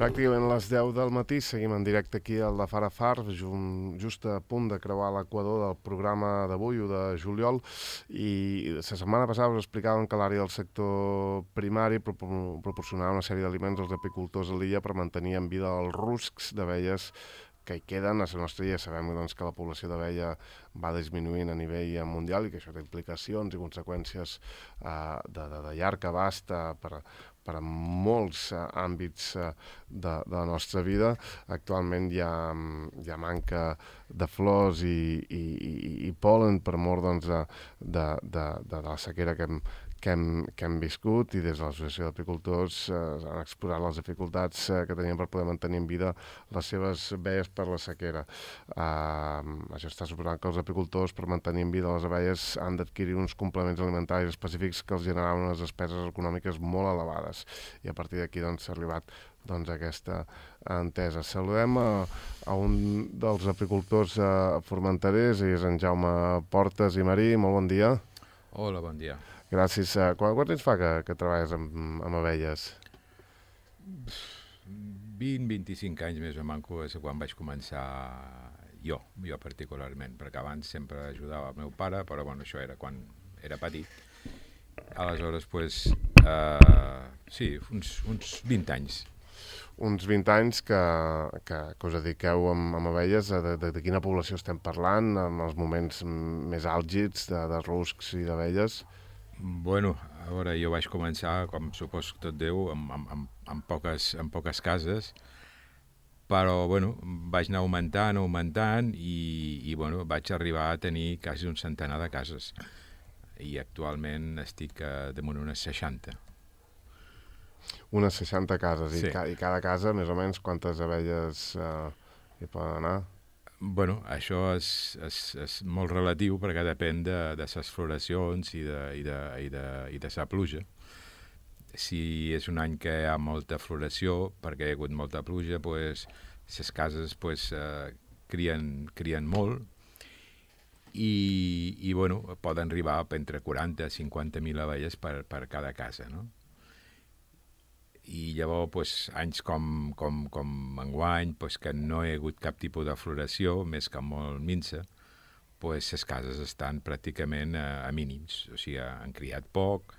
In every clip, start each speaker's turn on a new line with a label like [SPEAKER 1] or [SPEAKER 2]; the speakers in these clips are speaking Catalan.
[SPEAKER 1] Pràcticament a les 10 del matí seguim en directe aquí al de Far a Far, just a punt de creuar l'equador del programa d'avui, o de juliol, i la setmana passada us explicàvem que l'àrea del sector primari proporcionava una sèrie d'aliments als apicultors a l'illa per mantenir en vida els ruscs d'abelles que hi queden. A la nostra illa sabem doncs, que la població d'abella va disminuint a nivell mundial i que això té implicacions i conseqüències de llarg abast per a molts àmbits de la nostra vida. Actualment hi ha manca de flors i pol·len per mort doncs, de la sequera que hem viscut, i des de l'Associació d'Apicultors han exposat les dificultats que tenien per poder mantenir en vida les seves abelles per la sequera. Això està suposant que els apicultors, per mantenir en vida les abelles, han d'adquirir uns complements alimentaris específics que els generaven unes despeses econòmiques molt elevades, i a partir d'aquí s'ha arribat a aquesta entesa. Saludem a un dels apicultors formenterers, i és en Jaume Portes i Marí. Molt bon dia.
[SPEAKER 2] Hola, bon dia.
[SPEAKER 1] Gràcies. Quant temps fa que treballes amb abelles?
[SPEAKER 2] 20-25 anys més o manco és quan vaig començar jo particularment, perquè abans sempre ajudava el meu pare, però bueno, això era quan era petit. Aleshores, sí, uns 20 anys.
[SPEAKER 1] Uns 20 anys que us dediqueu amb abelles. De quina població estem parlant, en els moments més àlgids de ruscs i d'abelles?
[SPEAKER 2] Bueno, a veure, jo vaig començar, com supos tot Déu, amb poques cases, però bueno, vaig anar augmentant i bueno, vaig arribar a tenir quasi un centenar de cases, i actualment estic damunt unes 60.
[SPEAKER 1] Unes 60 cases,
[SPEAKER 2] sí.
[SPEAKER 1] I cada casa, més o menys, quantes abelles hi poden anar?
[SPEAKER 2] Bueno, això és molt relatiu, perquè depèn de les floracions i de la pluja. Si és un any que hi ha molta floració, perquè hi ha hagut molta pluja, les cases crien molt, i bueno, poden arribar entre 40 i 50.000 abelles per cada casa, no? I llavors, anys com enguany, que no hi ha hagut cap tipus de floració, més que molt minsa, les cases estan pràcticament a mínims, o sigui, han criat poc,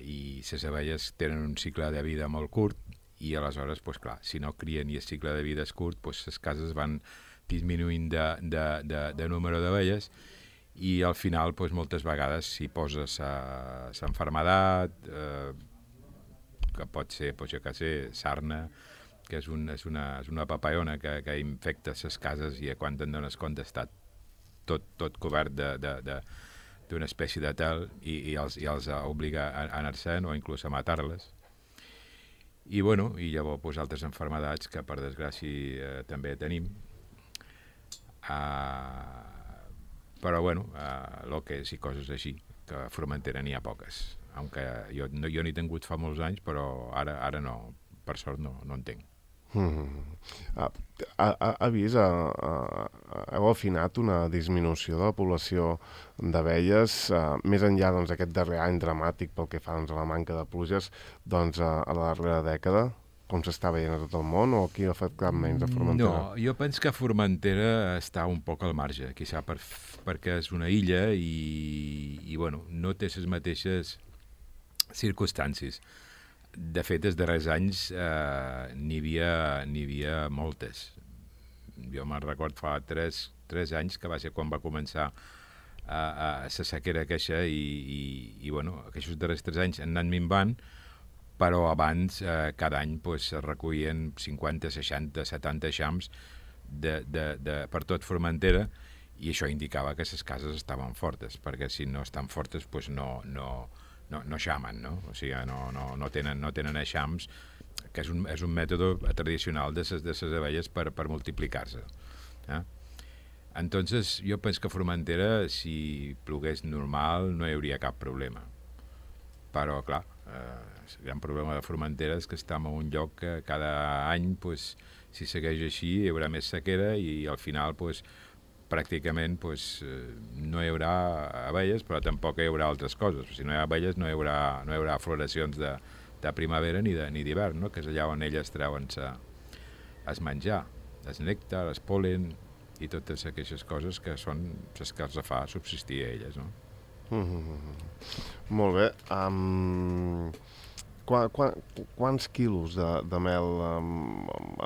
[SPEAKER 2] i les abelles tenen un cicle de vida molt curt, i aleshores, clar, si no crien i el cicle de vida és curt, les cases van disminuint de número d'abelles, i al final, moltes vegades, si poses l'enfermedat, que pot ser, jo què sé, sarna, que és una papallona que infecta les cases, i quan te'n dones compte està tot cobert d'una espècie de tel, i els obliga a anar-se'n o inclús a matar-les. I bueno, i llavors altres enfermedats que per desgràcia també tenim. Però bueno, loques i coses així, que a Formentera n'hi ha poques. Aunque jo n'he tingut fa molts anys, però ara no, per sort no en tinc.
[SPEAKER 1] Ha vist, heu afinat una disminució de la població d'abelles, més enllà d'aquest darrer any dramàtic pel que fa a la manca de pluges, a la darrera dècada, com s'està veient a tot el món, o aquí ha afectat menys a Formentera?
[SPEAKER 2] No, jo penso que Formentera està un poc al marge, quizà perquè és una illa i bueno, no té les mateixes circumstàncies. De fet, els darrers anys n'hi havia moltes. Jo me'n record fa 3 anys, que va ser quan va començar la sequera queixa, i bueno, aquests darrers 3 anys han anat minvant, però abans cada any es recollien 50, 60, 70 eixams per tot Formentera, i això indicava que les cases estaven fortes, perquè si no estan fortes no xamen, no? O sigui, no tenen eixams, que és un mètode tradicional de les abelles per multiplicar-se. Entonces, jo penso que a Formentera, si plogués normal, no hi hauria cap problema. Però, clar, el gran problema de Formentera és que estem en un lloc que cada any, si segueix així, hi haurà més sequera, i al final, pràcticament no hi haurà abelles, però tampoc hi haurà altres coses. Si no hi ha abelles no hi haurà floracions de primavera ni d'hivern, no? Que és allà on elles treuen es menjar, el nèctar, el pol·len i totes aquestes coses que són les que els fa subsistir a elles, no?
[SPEAKER 1] Molt bé. Quants quilos de mel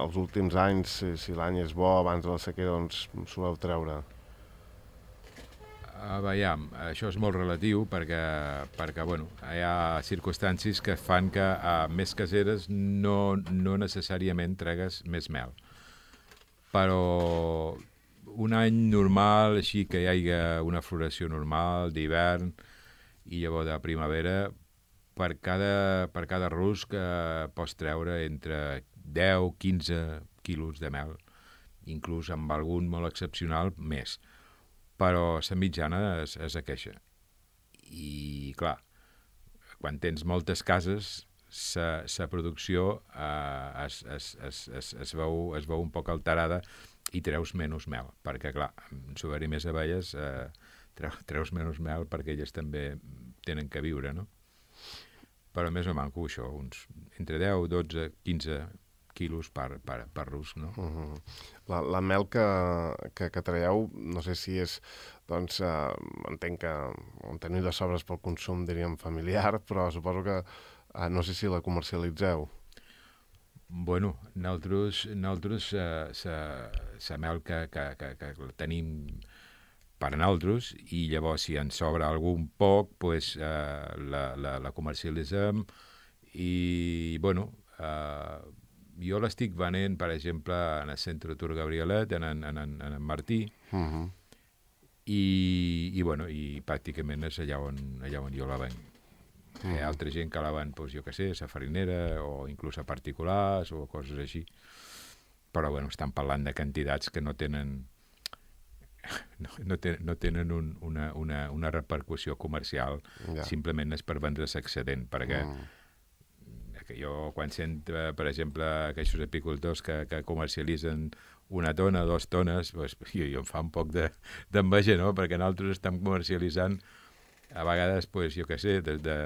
[SPEAKER 1] els últims anys, si l'any és bo, abans de la sequera, doncs soleu treure?
[SPEAKER 2] Veiem, això és molt relatiu perquè bueno, hi ha circumstàncies que fan que a més caseres no necessàriament tregues més mel. Però un any normal, així que hi hagi una floració normal d'hivern i llavors de primavera, per cada rusc pots treure entre 10-15 quilos de mel, inclús amb algun molt excepcional més. Però la mitjana és aquesta. I, clar, quan tens moltes cases, la producció es veu un poc alterada i treus menys mel, perquè, clar, si haver-hi més abelles, treus menys mel perquè elles també tenen que viure, no? Però més o manco això, uns entre 10, 12, 15 quilos per rusc, no?
[SPEAKER 1] La mel que traieu, no sé si és, doncs, entenc que en teniu de sobres pel consum, diríem, familiar, però suposo que no sé si la comercialitzeu.
[SPEAKER 2] Bueno, nosaltres la mel que tenim per a nosaltres, i llavors si en sobra algun poc, pues, la comercialitzem i, bueno, jo l'estic venent, per exemple, en el centre Tur Gabrielet, en Martí, i bueno, i pràcticament és allà on jo la venc. Hi ha altra gent que la ven, doncs, jo què sé, a la farinera, o inclús a particulars, o coses així. Però, bueno, estan parlant de quantitats que no tenen una repercussió comercial, simplement és per vendre's excedent, perquè que jo quan sent, per exemple, aquests apicultors que comercialitzen 1 tona, 2 tones, doncs, jo em fa un poc d'enveja, no? Perquè nosaltres estem comercialitzant a vegades, doncs, jo què sé, des de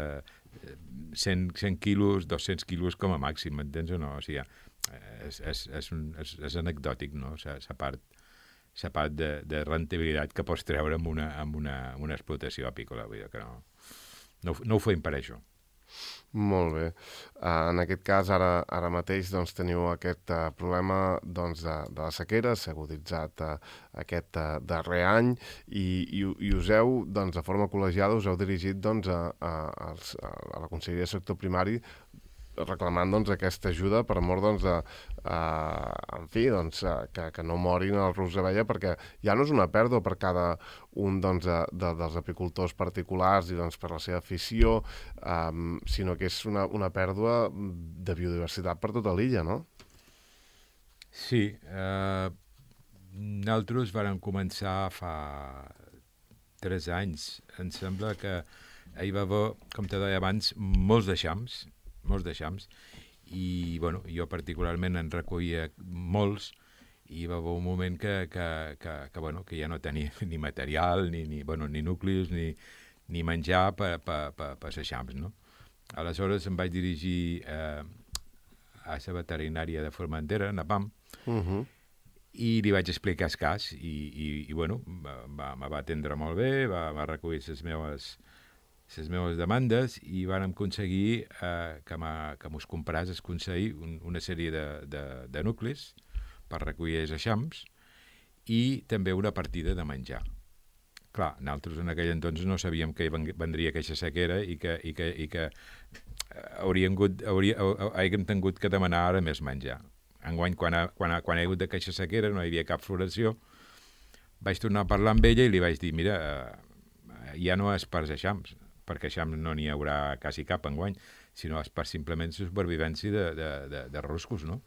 [SPEAKER 2] 100 quilos, 200 quilos com a màxim, m'entens o no? O sigui, és anecdòtic, no? La part de rentabilitat que pots treure amb una explotació apícola, vull dir que no ho fem per això.
[SPEAKER 1] Molt bé. En aquest cas, ara mateix doncs, teniu aquest problema doncs, de la sequera, s'ha aguditzat aquest darrer any i us heu, doncs, de forma col·legiada, us heu dirigit doncs, a la Conselleria de Sector Primari reclamant doncs, aquesta ajuda per mort doncs, en fi, doncs, que no morin els ruscs d'abella, perquè ja no és una pèrdua per cada un doncs, dels apicultors particulars i doncs, per la seva afició, sinó que és una pèrdua de biodiversitat per tota l'illa, no?
[SPEAKER 2] Sí, nosaltres vam començar fa 3 anys. Em sembla que hi va haver, com te deia abans, molts deixams, i bueno, jo particularment en recollia molts, i va haver un moment que ja no tenia ni material, ni nuclis, ni menjar per deixams, no? Aleshores em vaig dirigir a la veterinària de Formentera, a PAM, i li vaig explicar el cas, i bueno, me va atendre molt bé, va recollir les meves demandes, i vàrem aconseguir que mos compràs el Consell una sèrie de nuclis per recollir els eixams i també una partida de menjar. Clar, nosaltres en aquell entonces no sabíem que vendria aquesta sequera i que hàgim tingut que demanar ara més menjar. Enguany, quan hi ha hagut aquesta sequera, no hi havia cap floració, vaig tornar a parlar amb ella i li vaig dir, mira, ja no és per eixams, perquè eixams no n'hi haurà quasi cap enguany, sinó és per simplement supervivència de ruscos, no?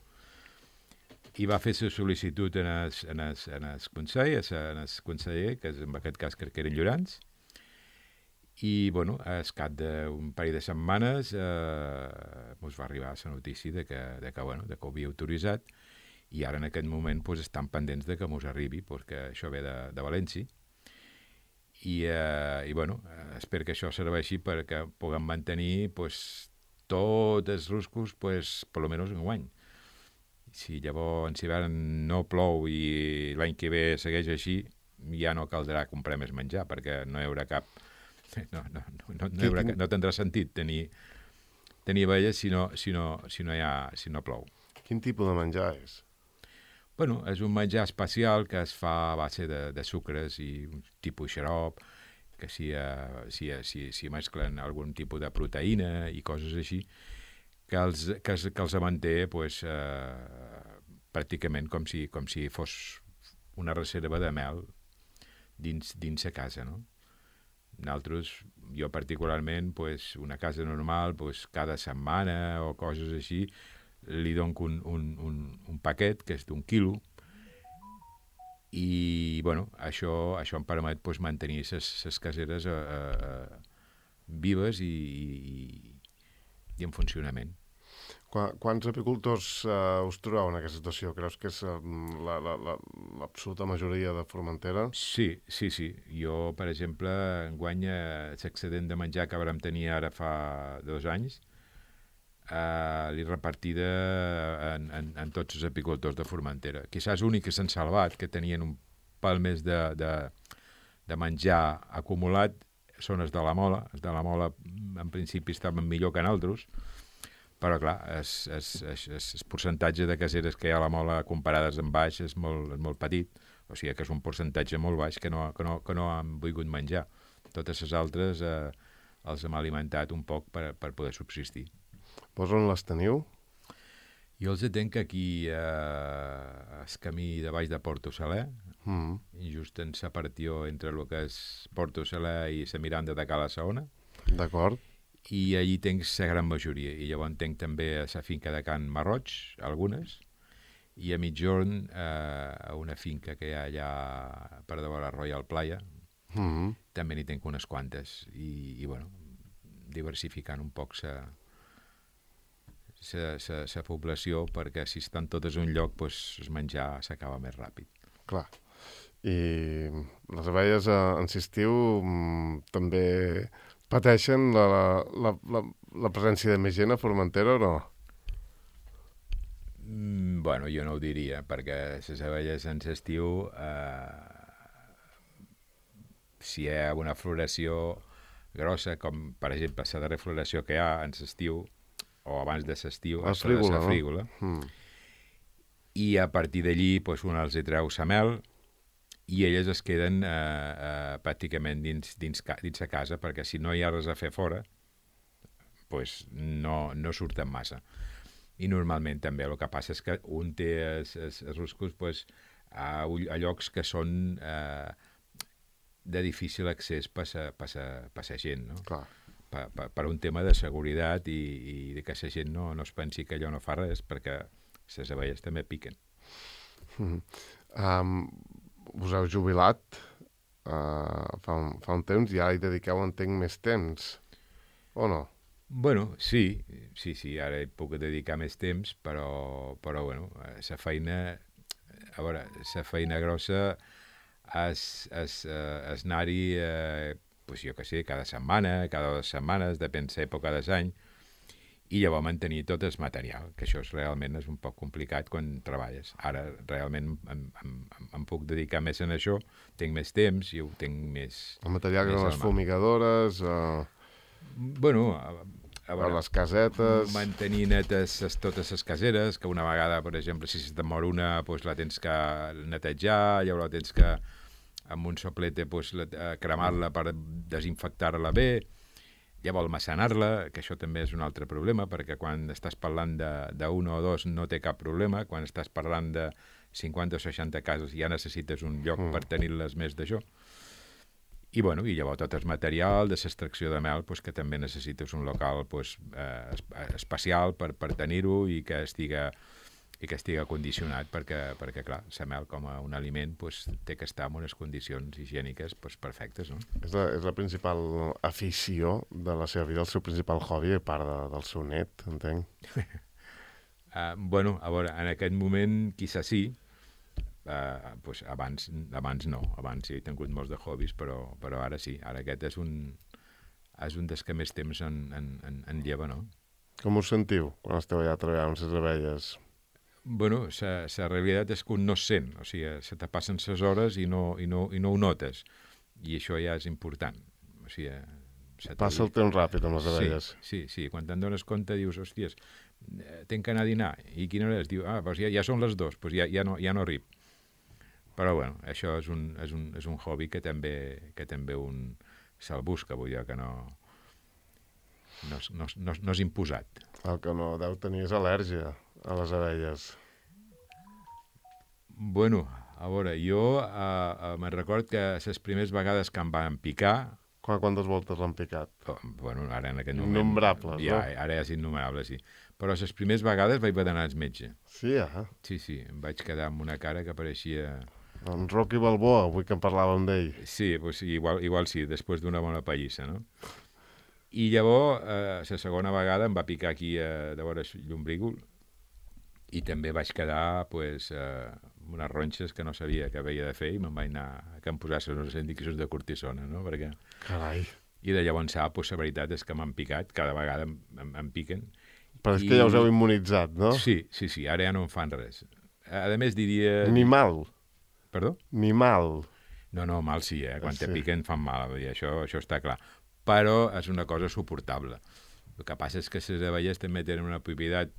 [SPEAKER 2] I va fer la sol·licitud en el Consell, en el conseller, que en aquest cas crec que eren Llorans, i, bueno, al cap d'un parell de setmanes ens va arribar la notícia de que ho havia autoritzat, i ara en aquest moment pues, estan pendents de que ens arribi, perquè això ve de València, i bueno, espero que això serveixi perquè puguem mantenir pues, tots els ruscos, pues, per lo menys un guany. Si llavors en hivern no plou i l'any que ve segueix així, ja no caldrà comprar més menjar, perquè no hi haurà cap... No tindrà sentit tenir abelles si no plou.
[SPEAKER 1] Quin tipus de menjar és?
[SPEAKER 2] Bueno, és un menjar especial que es fa a base de sucres i un tipus xarop, que s'hi mesclen algun tipus de proteïna i coses així, que els manté pues, pràcticament com si fos una reserva de mel dins a casa, no? Nosaltres, jo particularment, pues, una casa normal, pues, cada setmana o coses així, li dono un paquet que és d'1 quilo i bueno, això em permet pues, mantenir les caseres vives i en funcionament.
[SPEAKER 1] Quants apicultors us trobeu en aquesta situació? Creus que és l'absoluta majoria de Formentera?
[SPEAKER 2] Sí. Jo, per exemple, enguany l'excedent de menjar que vam tenir ara fa 2 anys l'he repartida en tots els apicultors de Formentera. Quizás l'únic que s'han salvat, que tenien un pal més de menjar acumulat, són els de la Mola. Els de la Mola, en principi, estaven millor que nosaltres, però, clar, el percentatge de caseres que hi ha a la Mola comparades amb baix és molt petit, o sigui que és un percentatge molt baix que no han volgut menjar. Totes les altres els hem alimentat un poc per poder subsistir.
[SPEAKER 1] Vos on les teniu?
[SPEAKER 2] Jo els tenc aquí al camí de baix de Porto Saler, just en la partió entre el que és Porto Saler i la Miranda de Cala Saona.
[SPEAKER 1] D'acord.
[SPEAKER 2] I allí tenc la gran majoria. I llavors tenc també a la finca de Can Marroig, algunes, i a mitjorn a una finca que hi ha allà per davant la Royal Playa, també n'hi tenc unes quantes. I bueno, diversificant un poc la població, perquè si estan totes en un lloc, pues, el menjar s'acaba més ràpid.
[SPEAKER 1] Clar. I les abelles en l'estiu també pateixen la presència de més gent a Formentera o no?
[SPEAKER 2] Bueno, jo no ho diria, perquè les abelles en l'estiu, si hi ha una floració grossa, com per exemple la darrera floració que hi ha en l'estiu, o abans de l'estiu,
[SPEAKER 1] la frígola,
[SPEAKER 2] no? I a partir d'allí pues, un els hi treu la mel i elles es queden pràcticament dins a casa, perquè si no hi ha res a fer fora, pues, no surten massa. I normalment també el que passa és que un té els ruscos pues, a llocs que són de difícil accés per la gent, no?
[SPEAKER 1] Clar.
[SPEAKER 2] Per un tema de seguretat i que la gent no es pensi que allò no fa res, perquè les abelles també piquen.
[SPEAKER 1] Us heu jubilat fa un temps, ja hi dediqueu, entenc, més temps, o no?
[SPEAKER 2] Bueno, sí, ara hi puc dedicar més temps, però bueno, la feina grossa és anar-hi, pues jo què sé, cada setmana, cada 2 setmanes, depèn de l'època de l'any, i llavors mantenir tot el material, que això realment és un poc complicat quan treballes. Ara realment em puc dedicar més a això, tinc més temps i ho tinc més...
[SPEAKER 1] El material que són les fumigadores...
[SPEAKER 2] Bueno, a veure,
[SPEAKER 1] les casetes...
[SPEAKER 2] Mantenir netes totes les caseres, que una vegada, per exemple, si se't mor una, pues la tens que netejar, llavors tens que, amb un soplete, pues, cremar-la per desinfectar-la bé, llavors almacenar-la, que això també és un altre problema, perquè quan estàs parlant d'un o dos no té cap problema, quan estàs parlant de 50 o 60 cases ja necessites un lloc per tenir-les més d'això. I, bueno, i llavors tot el material de l'extracció de mel, pues, que també necessites un local pues, especial per tenir-ho i que estiga condicionat, perquè clar, la mel com a un aliment pues, té que estar en unes condicions higièniques pues, perfectes, no?
[SPEAKER 1] És la principal afició de la seva vida, el seu principal hobby, a part del seu net, entenc.
[SPEAKER 2] Bueno, a veure, en aquest moment, quizá sí, pues abans no, abans sí he tingut molts de hobbies, però ara sí, ara aquest és un dels que més temps en lleva, no?
[SPEAKER 1] Com us sentiu quan esteu allà treballant amb les abelles?
[SPEAKER 2] Bueno, la realitat és que un no es sent, o sigui, se te passen les hores i no ho notes, i això ja és important. O sigui,
[SPEAKER 1] passa el temps ràpid amb les abelles.
[SPEAKER 2] Sí, quan te'n dones compte dius, hòsties, tinc que anar a dinar, i quina hora és? Diu, doncs ja són les 2, doncs ja no arrib. Però bueno, això és un hobby que també un se'l busca, vull dir que no és imposat.
[SPEAKER 1] El que no deu tenir és al·lèrgia a les abelles.
[SPEAKER 2] Bueno, a veure, jo me'n record que les primeres vegades que em van picar...
[SPEAKER 1] Quantes voltes l'han picat?
[SPEAKER 2] Bueno, ara en aquest moment...
[SPEAKER 1] Innombrables,
[SPEAKER 2] ja,
[SPEAKER 1] no?
[SPEAKER 2] Ara és innumerable, sí. Però les primeres vegades vaig haver d'anar al metge.
[SPEAKER 1] Sí,
[SPEAKER 2] Sí, em vaig quedar amb una cara que pareixia...
[SPEAKER 1] En Rocky Balboa, avui que en parlàvem d'ell.
[SPEAKER 2] Sí, pues, igual sí, després d'una bona pallissa, no? I llavors, la segona vegada em va picar aquí de vora l'ombrígol i també vaig quedar pues, unes ronxes que no sabia què havia de fer i me'n vaig anar que em posassin unes indicacions de cortisona, no? Perquè...
[SPEAKER 1] Carai.
[SPEAKER 2] I de llavors pues, la veritat és que m'han picat, cada vegada em piquen.
[SPEAKER 1] Però és que ja us heu immunitzat, no?
[SPEAKER 2] Sí, ara ja no em fan res. A més diria...
[SPEAKER 1] Ni mal.
[SPEAKER 2] Perdó?
[SPEAKER 1] Ni mal.
[SPEAKER 2] No, mal sí, quan te piquen fan mal, vull dir, això està clar. Però és una cosa suportable. El que passa és que les abelles també tenen una propietat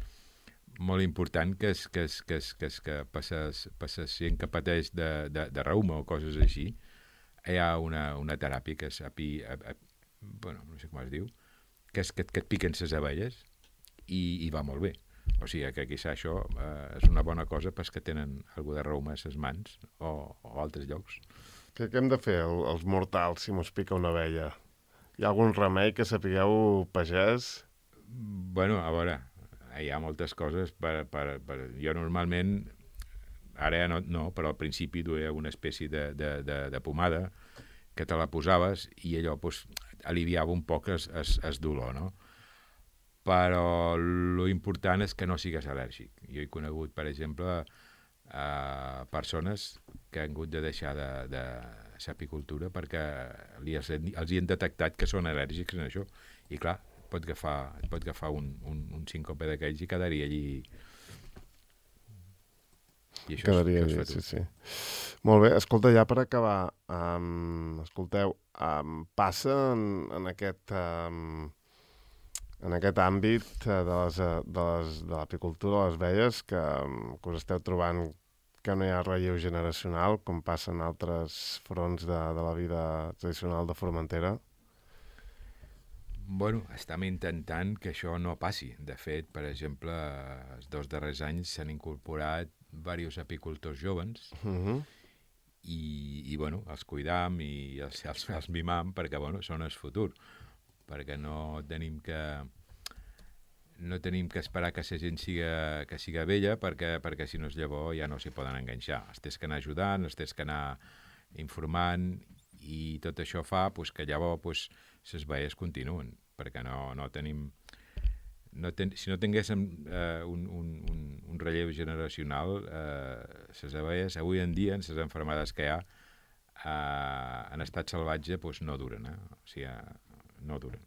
[SPEAKER 2] molt important que és que per la gent que pateix de reuma o coses així, hi ha una teràpia que és bueno, no sé com es diu, que és que et piquen les abelles i va molt bé. O sigui que quizà això és una bona cosa pels que tenen alguna de reuma a les mans o altres llocs.
[SPEAKER 1] Què hem de fer els mortals si mos pica una abella? Hi ha algun remei que sapigueu, pagès?
[SPEAKER 2] Bueno, a veure, hi ha moltes coses. Jo normalment, ara ja no, però al principi duia una espècie de pomada que te la posaves i allò pues, aliviava un poc el dolor, no? Però lo important és que no sigues al·lèrgic. Jo he conegut, per exemple, persones que han hagut de deixar de l'apicultura perquè els hi han detectat que són al·lèrgics en això. I clar, et pot agafar un síncope d'aquells i quedaria allí. I això
[SPEAKER 1] quedaria allí, sí. Molt bé, escolta, ja per acabar, escolteu, passa en aquest àmbit de l'apicultura de les abelles que us esteu trobant que no hi ha relleu generacional, com passa en altres fronts de la vida tradicional de Formentera?
[SPEAKER 2] Bueno, estem intentant que això no passi. De fet, per exemple, els 2 darrers anys s'han incorporat diversos apicultors joves i bueno, els cuidam i els mimam perquè, bueno, són el futur. Perquè no tenim que esperar que la gent siga vella perquè si no és llavors ja no s'hi poden enganxar. Els tens que anar ajudant, els tens que anar informant i tot això fa pues, que llavors les abelles continuen perquè no tenim... si no tinguéssim un relleu generacional, les abelles avui en dia, en les malalties que hi ha, en estat salvatge pues, no duren. O sigui, no duren.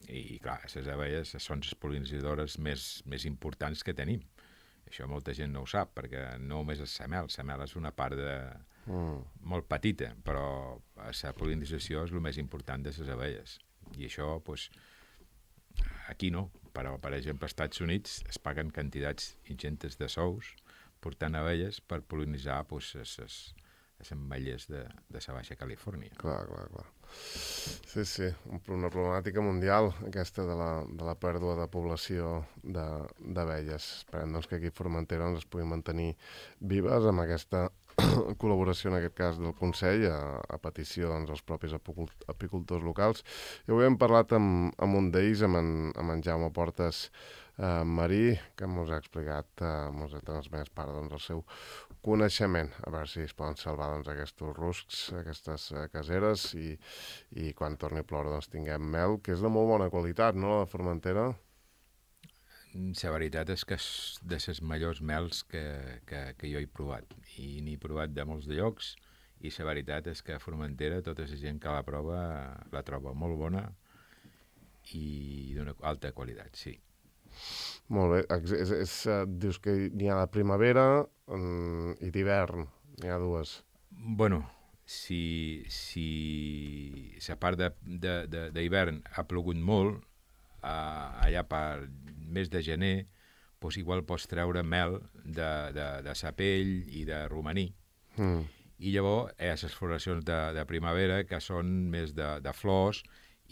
[SPEAKER 2] I clar, les abelles són les pol·linitzadores més importants que tenim. Això molta gent no ho sap, perquè no només és la mel és una part molt petita, però la pol·linització és el més important de les abelles. I això, doncs, aquí no, però, per exemple, als Estats Units es paguen quantitats ingentes de sous portant abelles per pol·linitzar les ametlles de la Baixa Califòrnia.
[SPEAKER 1] Clar. Sí, una problemàtica mundial, aquesta de la pèrdua de població d'abelles. Esperem doncs, que aquí a Formentera es puguin mantenir vives amb aquesta col·laboració, en aquest cas, del Consell, a petició dels propis apicultors locals. I avui hem parlat amb un d'ells, amb en Jaume Portes Marí, que ens ha explicat, ens ha transmès part del seu coneixement, a veure si es poden salvar aquests ruscs, aquestes caseres, i quan torni a ploure tinguem mel, que és de molt bona qualitat, no?, la de Formentera.
[SPEAKER 2] La veritat és que és de les millors mels que jo he provat, i n'he provat de molts llocs, i la veritat és que a Formentera tota la gent que la prova la troba molt bona i d'una alta qualitat, sí.
[SPEAKER 1] Molt bé. Dius que n'hi ha de primavera i d'hivern. N'hi ha dues.
[SPEAKER 2] Bueno, si la part d'hivern ha plogut molt, allà per mes de gener, doncs igual pots treure mel de sapell i de romaní. I llavors hi ha les floracions de primavera que són més de flors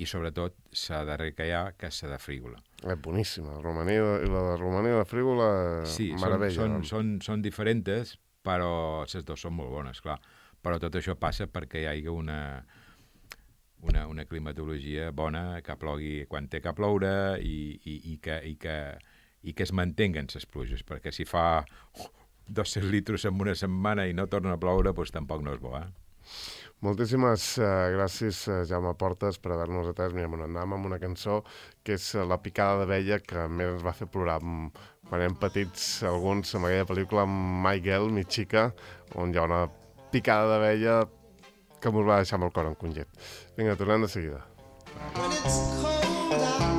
[SPEAKER 2] i sobretot la darrera que hi ha, que és la de frígola.
[SPEAKER 1] Boníssima. La de romaní i la frígola,
[SPEAKER 2] sí,
[SPEAKER 1] meravella.
[SPEAKER 2] Són diferents, però les dues són molt bones, clar. Però tot això passa perquè hi hagi una climatologia bona, que plogui quan té que ploure i que es mantinguen les pluges, perquè si fa 200 litres en una setmana i no torna a ploure, doncs tampoc no és bo,
[SPEAKER 1] Moltíssimes gràcies, Jaume Portes, per haver-nos atès. Mira, anem amb una cançó que és La picada d'abella, que més ens va fer plorar quan érem petits, alguns, amb aquella pel·lícula My Girl, Mi Chica, on hi ha una picada d'abella que ens va deixar amb el cor encongit. Vinga, tornem de seguida. When it's cold out